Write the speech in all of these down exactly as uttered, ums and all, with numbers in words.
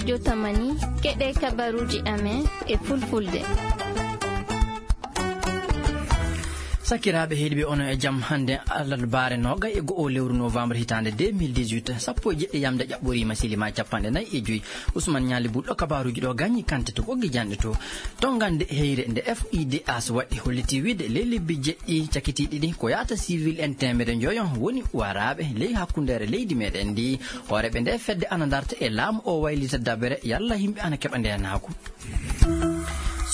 Jotamani, keɗe kabaruuji amen e fulfulde. Sakiraaɓe heɗiiɓe, onon e jam. Hannde alarbaare noogay e go'o lewru novembre hitaande deux mille dix-huit, sappo e jeɗɗi yamde ƴaɓɓoriima, silima capanɗe nayi e joyi. Ousmane Ñaali Buɗɗo kabaruuji ɗo gañi kante to ɓoggi janɗe to. Tongande heyre nde F I D H waɗi holliti wiide ley lebbi jeɗɗi cakitiiɗi ɗi ko yahata civil en teemedere njoyo woni waraaɓe ley hakkundeere leydi meɗen ndi. Hooreeɓe nde fedde ana darta e laamu o waylita dabere yalla yimɓe ana keɓa ndeenaagu.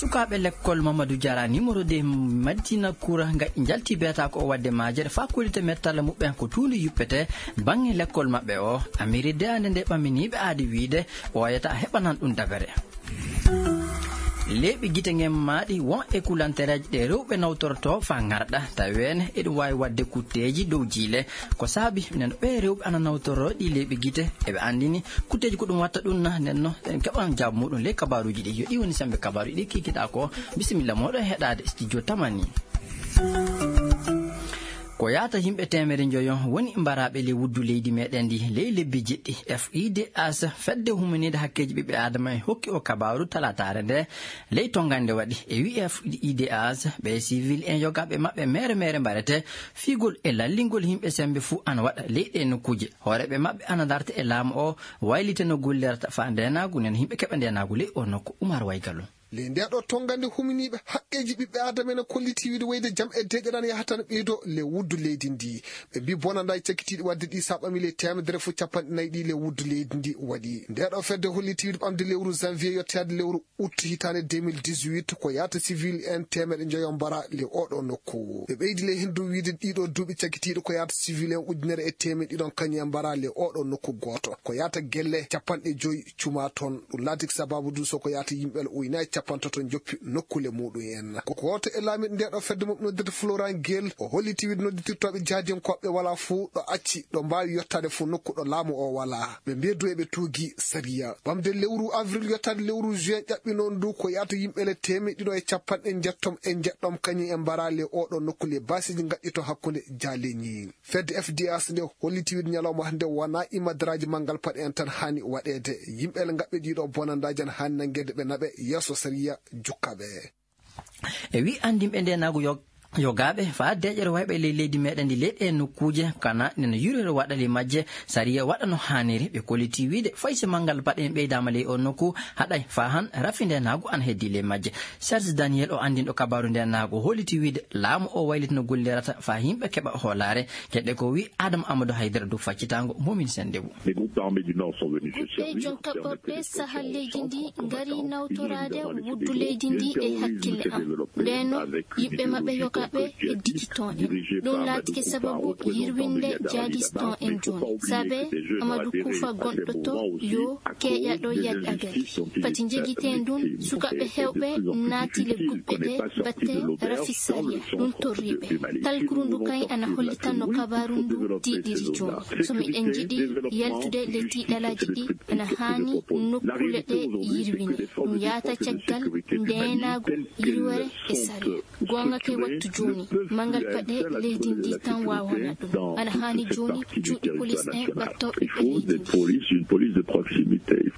Sukaaɓe lekkol Mamadou Diarra numéro deux Madina Koura nga njalti beeta ko o waɗde majere faa kollita mettalla muɓɓen ko tuundi yuppete baŋŋe lekkol maɓɓe o. Amiri deyande nde ɓaminiiɓe aadi wiide ɓooyata heɓanan ɗum dabere. Leeɓi gite ngen maaɗi won e kulantereeji ɗe rewɓe nawtorto faa ŋarɗa, taweene eɗum waawi waɗde kutteeji dow jiile. Ko saabi nen ɓee rewɓe ana nawtoroo ɗi leeɓi gite, eɓe anndini kutteeji ko ɗum watta ɗum na, nen no en keɓan jaabu muɗum ley kabaruuji ɗi. Yo ɗi woni sembe kabaruuji ɗi kikiɗaa ko. Bisimilla mooɗon heɗaade studio tamani. Ko yahata yimɓe teemedere njoyo woni mbaraaɓe ley wuddu leydi meɗen ndi ley lebbi jeɗɗi. F I D H, fedde humaniinde hakkeeji ɓiɓɓe aadama, en hokki o kabaaru talaataare nde ley tongande waɗi. E wi'i F I D H, ɓe civil en yogaaɓe maɓɓe mere mere mbarete fiigol e lallingol yimɓe sembe fuu ana waɗa ley ɗee nokkuuje. Hooreeɓe maɓɓe ana darta e laamu o waylita no gollirata faa ndeenaagu nen yimɓe keɓa ndeenaagu ley o nokku. Umar Waygalo. Ley ndee ɗoo tongande humaniiɓe haqqeeji ɓiɓɓe aadama ene kolliti wiide wayde jam e deeƴere ana yahata no ɓeydoo ley wuddu leydi ndi. Ɓe mbii bonandaaji cakitiiɗi waɗde ɗi so a ɓamii ley teemedere fof capanɗe nayi ɗi ley wuddu leydi ndi waɗi. Ndee ɗoo fedde holliti wiide ɓamde lewru janvier yottoyaade lewru août hitaande deux mille dix-huit ko yahata civil en teemeɗe njoyo mbara ley oo ɗoo nokku. Ɓe ɓeydi ley heen dow wiide ɗii ɗoo duuɓi cakitiiɗi ko yahata civil en ujunere e teemeɗe ɗiɗon kañum en mbara ley oo ɗoo nokku gooto. Ko yahata gelle capanɗe joyi cuma toon. Ɗum laati ko sabaabu du so ko yahata yimɓe ujunere e capanɗe tato njoppi nokkule muɗum en. Ko gooto e laamiiɗo ndee ɗoo fedde mo ɓe noddirta Florent Gel, o holliti wiide nodditirtooɓe jaadiyankooɓe walaa fuu ɗo acci ɗo mbaawi yottaade fuu nokku ɗo laamu o walaa. Ɓe mbii du eɓe tuugi sariya. Ɓamde lewru avril yottaade lewru juin ƴaɓɓi noon du ko yahata yimɓe le teemeɗe ɗiɗo e capanɗe njettom e njeɗɗom kañum en mbara ley oo ɗoo nokku ley baasiiji ngaɗɗi to hakkunde jaaleñi. Fedde F D H nde holliti wiide ñalawma hannde wonaa imadaraaji manngal paɗe en tan haani waɗeede. Yimɓe ele ngaɓɓe ɗii ɗoo bonandaaji ana haani nanngeede ɓe naɓe yeeso sariya jukkaɓe. E wii anndinɓe ndeenaagu yo-, yogaaɓe faa deeƴere wayɓe ley leydi meɗen ndi ley ɗee nokkuuje kana nena yurere waɗa ley majje, sariya waɗa no haaniri. Ɓe kolliti wiide fay si manngal paɗe en ɓeydaama ley oo nokku haɗay faa han rafi ndeenaagu ana heddii ley majje. Serge Daniel o anndinɗo kabaaru ndeenaagu holliti wiide laamu o wayliti no gollirata faa yimɓe keɓa hoolaare. Keɗɗe ko wii Adama Amadou Haydara dow faccitaango Momin Sennde Bou. Les groupes armés du Nord sont venus se servir pour permettre les pressions au centre combattant, ils ont également décidé de développer un terrorisme qui est développé avec une idéologie djihadiste organisée par Madou Koufa, représentant de Mali là-bas. Il ne faut pas oublier que ces jeunes ont adhéré à des mouvements aussi à cause des injustices dont ils sont victimes et de plus en plus difficiles. Ils ne connaissent pas sortir de l'auberge dans le centre de, du Mali. Si nous voulons sortir de la terrorisme, il faut développer ces zones-là. Sécurité, développement, justice et respect des principes de propreté. La réalité aujourd'hui, c'est que les forces de défense et de sécurité du Mali, telles qu'elles sont structurées, ne peuvent plus être un seul acteur de la sécurité dans le sud et partie du territoire national. Il faut des polices, une police de proximité.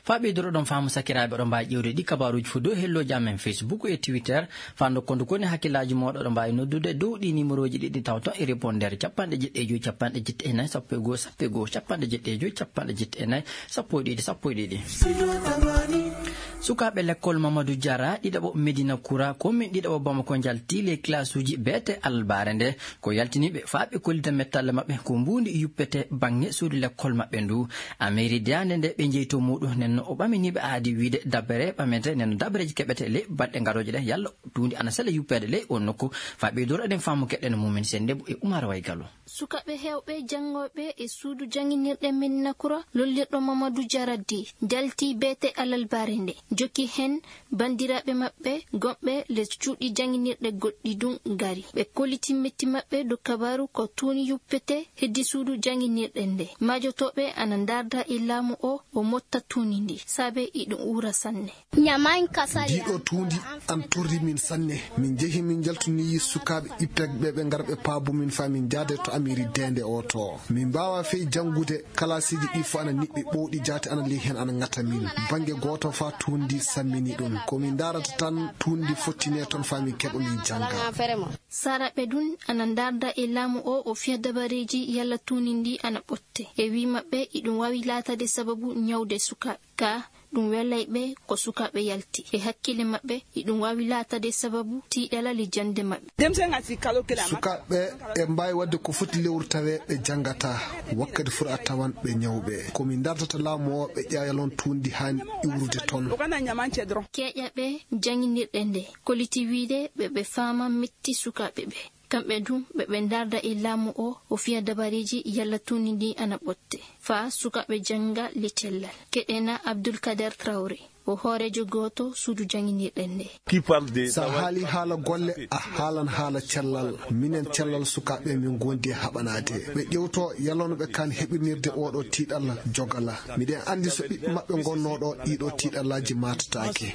Faa ɓeydoro ɗon faamu sakiraaɓe, oɗon mbaawi ƴeewde ɗi kabaaruuji fof dow hellooji amen Facebook e Twitter. Faa ndokkon du koni hakkillaaji mooɗon, oɗon mbaawi noddude dow ɗi numéroji ɗiɗi taw ton e répondeur capanɗe jeɗɗi e joy, capanɗe jeɗɗi e nayi, sappo e goo, sappo e goo, capanɗe jeɗɗi e joy, capanɗe jeɗɗi e nayi, sappo e ɗiɗi, sappo e ɗiɗi. Sukaaɓe lekkol Mamadou Diarra, ɗiɗaɓo Medina Koura, commune ɗiɗaɓo Bamako njalti ley classe uji beete albaare nde. Ko yaltiniiɓe faa ɓe kollita mettalle maɓɓe ko mbuundi yuppete baŋŋe suudu lekkol maɓɓe ndu. Amiri deyaande nde ɓe njeyi to muuɗum, nden no o ɓaminiiɓe aadi wiide dabere ɓamete, nden no dabereeji keɓete ley balɗe garooje ɗe, yalla tuundi ana sela yuppeede ley on nokku. Faa ɓeydoro eɗen faamu keɗɗen Mumin Sennde Bou e Umar Way Gallo. Sukaaɓe heewɓe janngooɓe e suudu jannginirɗe Medina Koura, lollirɗo Mamadou Diarra Dé, njalti beete alalbaare nde. Jokki heen, banndiraaɓe maɓɓe gonɓe les cuuɗi jannginirɗe goɗɗi ɗum ngari. Ɓe kolliti metti maɓɓe dow kabaaru ko tuuni yuppete heddi suudu jannginirɗe nde. Maajotooɓe ana ndaarda e laamu o, o motta tuuni ndi, saabe iɗum uura sanne. Ndiɗo tuundi an torri min sanne. Min njehi min njaltini sukaaɓe ippegɓe ɓe ngara ɓe paabu min faa min njaade to amiri deende o to. Min mbaawa fey janngude. Kalaasiiji ɗi fof ana niɓɓi ɓowɗi jaati ana ley heen ana ŋata min. Bannge gooto faa tuundi sammini ɗum. Ko min ndaarata tan tuundi fottine toon faa min keɓa min jannga. Saaraaɓe ɗum ana ndaarda e laamu o, o fiya dabareeji yalla tuundi ndi ana ɓotte. E wii maɓɓe, iɗum waawi laatade sababu ñawde sukaaɓe. Ka ɗum welay ɓe ko sukaaɓe yalti. E hakkille maɓɓe, iɗum waawi laatade sababu tiiɗalal e jannde maɓɓe. Sukaaɓe e mbaawi waɗde ko foti lewru tawee ɓe janngataa. Wakkati fur a tawan ɓe ñawɓe. Ko min ndaartata laamu o, ɓe ƴeewa yalon tuundi haani iwrude toon. Keeƴa ɓe jannginirɗe nde, kolliti wiide ɓe ɓe faama metti sukaaɓe ɓe. Kamɓe dum, ɓe ɓe ndaarda e laamu o, o fiya dabareeji yalla tuundi ndi ana ɓotte. Faa sukaaɓe jannga le cellal. Keɗena Abdul Kader Traoré, o hooreejo gooto suudu jannginirɗe nde. Sa haali haala golle, a haalan haala cellal. Minen cellal sukaaɓe min ngondi e haɓanaade. Ɓe ƴewto yalano ɓe kaan heɓinirde oɗo tiiɗalla jogala. Miɗen anndi so ɓiɓɓe maɓɓe ngonnoo ɗo, ɗiɗo tiiɗallaaji maatataake.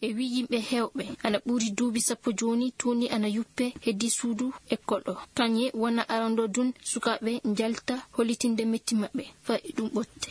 E wii yimɓe heewɓe, ana ɓuri duuɓi sappo jooni, tuundi ana yuppe heddi suudu ekkol o. Kañe wona arando dun sukaaɓe njalta hollitinde metti maɓɓe, faa iɗum ɓotte.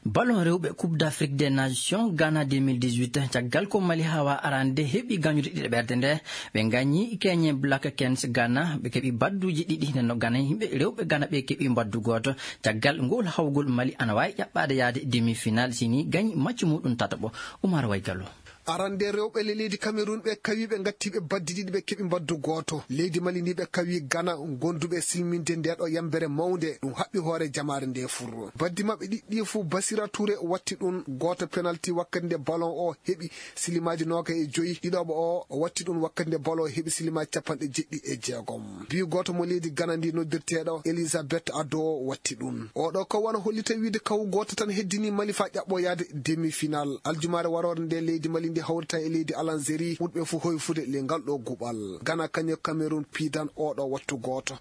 Ballon rewɓe Coupe d'Afrique des Nations Ghana deux mille dix-huit, caggal ko Mali hawa arande heɓi gañude ɗiɗaɓerde nde, ɓe gañi Kenya Black Canes Ghana, ɓe keɓi badduji ɗiɗi, nden no Ghana, yimɓe rewɓe Ghana ɓe keɓi baddu gooto. Caggal ngol hawgol, Mali ana waawi ƴaɓɓaade yaade demi-finale si ni gañi match muɗum tataɓo. Umar Waygallo. Arande rewɓe le leydi Cameroun ɓe kawi ɓe ngatti ɓe baddi ɗiɗi ɓe keɓi mbaddu gooto. Leydi Mali ndi ɓe kawi Ghana gonduɓe e silminde nde ɗo yambere mawnde ɗum haɓɓi hoore jamaare nde fur. Baddi maɓɓe ɗiɗɗi fof Basira Touré watti ɗum gooto penalty wakkati nde ballon o heɓi silimaaji noogay e joyi. Ɗiɗoɓo o watti ɗum wakkati nde ballon o heɓi silimaaji capanɗe jeɗɗi e jeegom. Bi gooto mo leydi Ghana ndi noddirteeɗo Elizabeth Ado watti ɗum. Oɗo ko wano hollita wiide kaw gooto tan heddini Mali faa ƴaɓɓo yaade demi-finale. Aljumaare waroore nde leydi Mali ndi hawrita e leydi Alanzeri ɓurɓe fof hoyfude le ngal ɗo guɓal. Ghana kañum Cameroun piidan oɗo wattu gooto.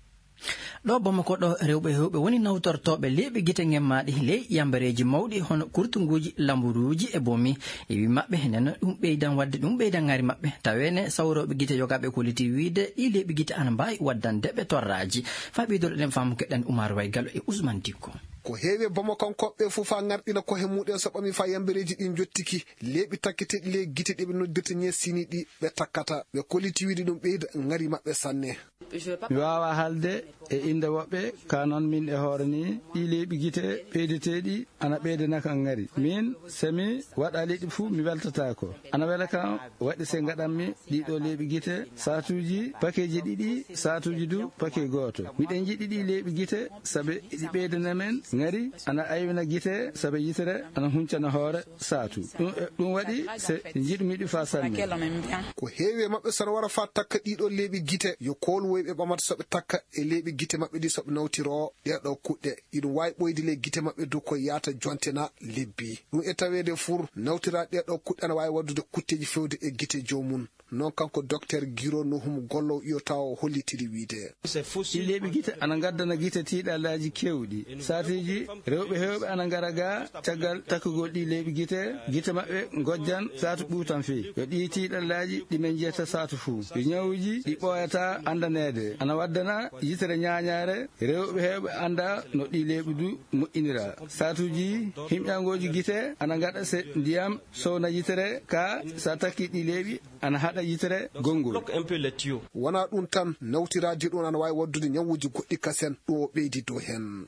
Ɗo Bamako ɗo, rewɓe heewɓe woni nawtortooɓe leeɓi gite ngemmaaɗi ley yambareeji mawɗi hono kurtunguuji, lamburuuji e bomi. E wii maɓɓe, nden ɗum ɓeydan waɗde, ɗum ɓeydan ŋari maɓɓe. Taweene sawrooɓe gite yogaaɓe kolliti wiide ɗi leeɓi gite ana mbaawi waddande ɓe torraaji. Faa ɓeydoro ɗen faamu keɗen Umar Waygal e Usman Dikko. Ko heewi e Bamakonkooɓe fof faa ŋarɗina kohe muɗen so ɓami faa yambareeji ɗin njottiki. Leeɓi takketeeɗi ley gite ɗi ɓe noddirta ñeesini ɗi ɓe takkata. Ɓe kolliti wiide ɗum ɓeyda ŋari maɓɓe sanne. Mi waawaa haalde e innde woɓɓe, kaa noon miin e hoore nii, ɗii leeɓi gite ɓeydeteeɗi ana ɓeydana kam ŋari. Miin, so mi waɗaa leɗɗi fuu, mi weltataako. Ana wela kam waɗde so ngaɗanmi ɗiɗo leeɓi gite, saatuuji pakeeji ɗiɗi, saatuuji du pakee gooto. Miɗen njiɗi ɗii leeɓi gite, sabe ɗi ɓeydana men ŋari, ana aywina gite, sabe yitere ana huncana hoore saatu. Ɗum, ɗum waɗi se njiɗmi ɗi faa sanne. Ko heewi e maɓɓe so no wara faa takka ɗiɗo leeɓi gite, yo kooluwoy ɓe ɓamata so ɓe takka e leeɓi gite maɓɓe ɗi so ɓe nawtiroo ɗee ɗoo kuɗɗe. Iɗum waawi ɓooyde ley gite maɓɓe dow ko yaata jonte na lebbi. Ɗum e taweede fur, nawtiraa ɗee ɗoo kuɗɗe ana waawi waddude kutteeji feewde e gite joomum. Noon kanko Dokteer Giro Nuhum Gollow Iyotaawo hollitiri wiide. Ɗii leeɓi gite ana ngaddana gite tiiɗallaaji keewɗi. Saatiiji, rewɓe heewɓe ana ngara ga caggal takkugol ɗii leeɓi gite, gite maɓɓe ngojjan saatu ɓuutan fii. Yo ɗii tiiɗallaaji ɗi men njiyata saatu fuu. Yo ñawuuji ɗi ɓooyataa anndaneede. Ana waddana yitere ñaañaare, rewɓe heewɓe anndaa no ɗii leeɓi du moƴƴinira. Saatuuji, himƴangooji gite ana ngaɗa se ndiyam sowna yitere, ka sa takki ɗii leeɓi ana haɗa yitere gonngol. Wonaa ɗum tan, nawtiraade ɗum ana waawi waddude ñawuuji goɗɗi kasen, ɗum o ɓeydi dow heen.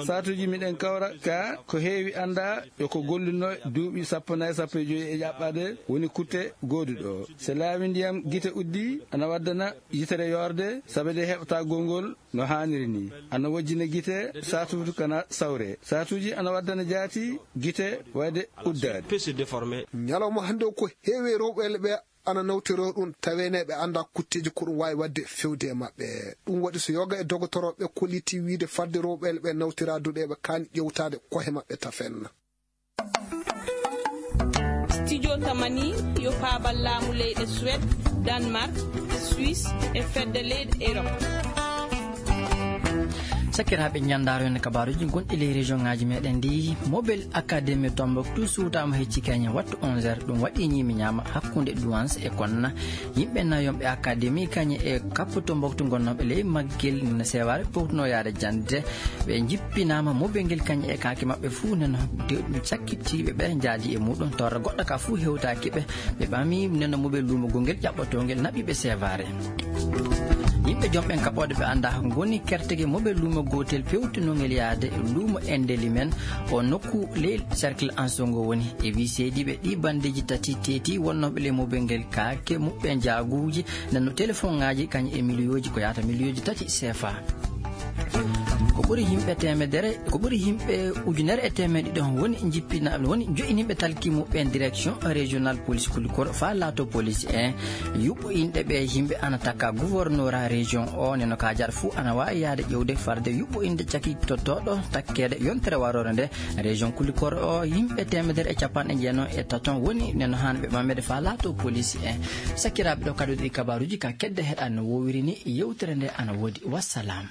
Saatuuji miɗen kawra ka ko heewi anndaa yo ko golluno duuɓi sappo nayi, sappo e joyi e ƴaɓɓaade woni kutte gooduɗo. So laawi ndiyam gite uddi, ana waddana yitere yoorde, sabe nde heɓata gonngol no haaniri ni. Ana wojjina gite, saatuuji kana sawre. Saatuuji ana waddana jaati gite wayde uddaade. Ñalawma hannde o ko heewi rewɓe ɓe ana nawtoroo ɗum, tawee ne ɓe anndaa kutteeji ko ɗum waawi waɗde fewde e maɓɓe. Ɗum waɗi so yoga e dogotorooɓe kolliti wiide fadde rewɓe ɓe nawtiraa duɗe ɓe kaani ƴewtaade kohe maɓɓe tafen. Tamani yo paabal laamu leyɗe Suwed, Danmark, Suisse e fedde leyɗe Erop. Sakiraaɓe, ñanndaaro en kabaaruuji gonɗi ley région ŋaaji meɗen ndi. Mobile Academy Tombouctou suutaama hecci kañe wattu onze heures, ɗum waɗi ñiimi ñaama hakkunde Douance e Konna. Yimɓe nayonɓe Academy kañe e kappo Tombouctou gonnooɓe ley maggel no seewaare powtuno yaade jannde. Ɓe njippinaama mobile ngel kañe e kaake maɓɓe fuu neno de ɗum cakkitiiɓe ɓe njaadi e muɗum torra goɗɗo ka fuu hewtaaki ɓe. Ɓe ɓami neno mobile luumo gongel ƴaɓɓotoo ngel naɓi ɓe seewaare. Yimɓe jom ɓen kaɓooɗe ɓe annda ngoni kertege mobile luumo gootel pewtinongel yaade luumo endeli men o nokku ley cercle Ansongo woni. E wi seediiɓe ɗi bandeeji tati teeti wonnooɓe ley mobile ngel kaake muɓɓe jaaguuji nano téléphone ŋaaji kañum e miliyooji ko yahata miliyooji tati C F A. Ko ɓuri yimɓe teemedere, ko ɓuri yimɓe ujunere e teemeɗe ɗiɗo woni jippina, woni joƴinimɓe talki muɓɓen direction régional police Kulikoro fa laato police en. Yuɓɓo inɗe ɓe yimɓe ana takka gouverneur région o neno kajara fuu ana waawi yaade ƴewde farde yuɓɓo inɗe caki tottooɗo takkeede yontere warore nde. Région Kulikoro o yimɓe teemedere e capanɗe jeenayi e taton woni neno han ɓe ɓamede fa laato police en. Sakiraaɓe, ɗo kadi ɗi kabaaruuji ka kedde heɗa no wowiri ni yewtere nde ana woodi. Wassalam.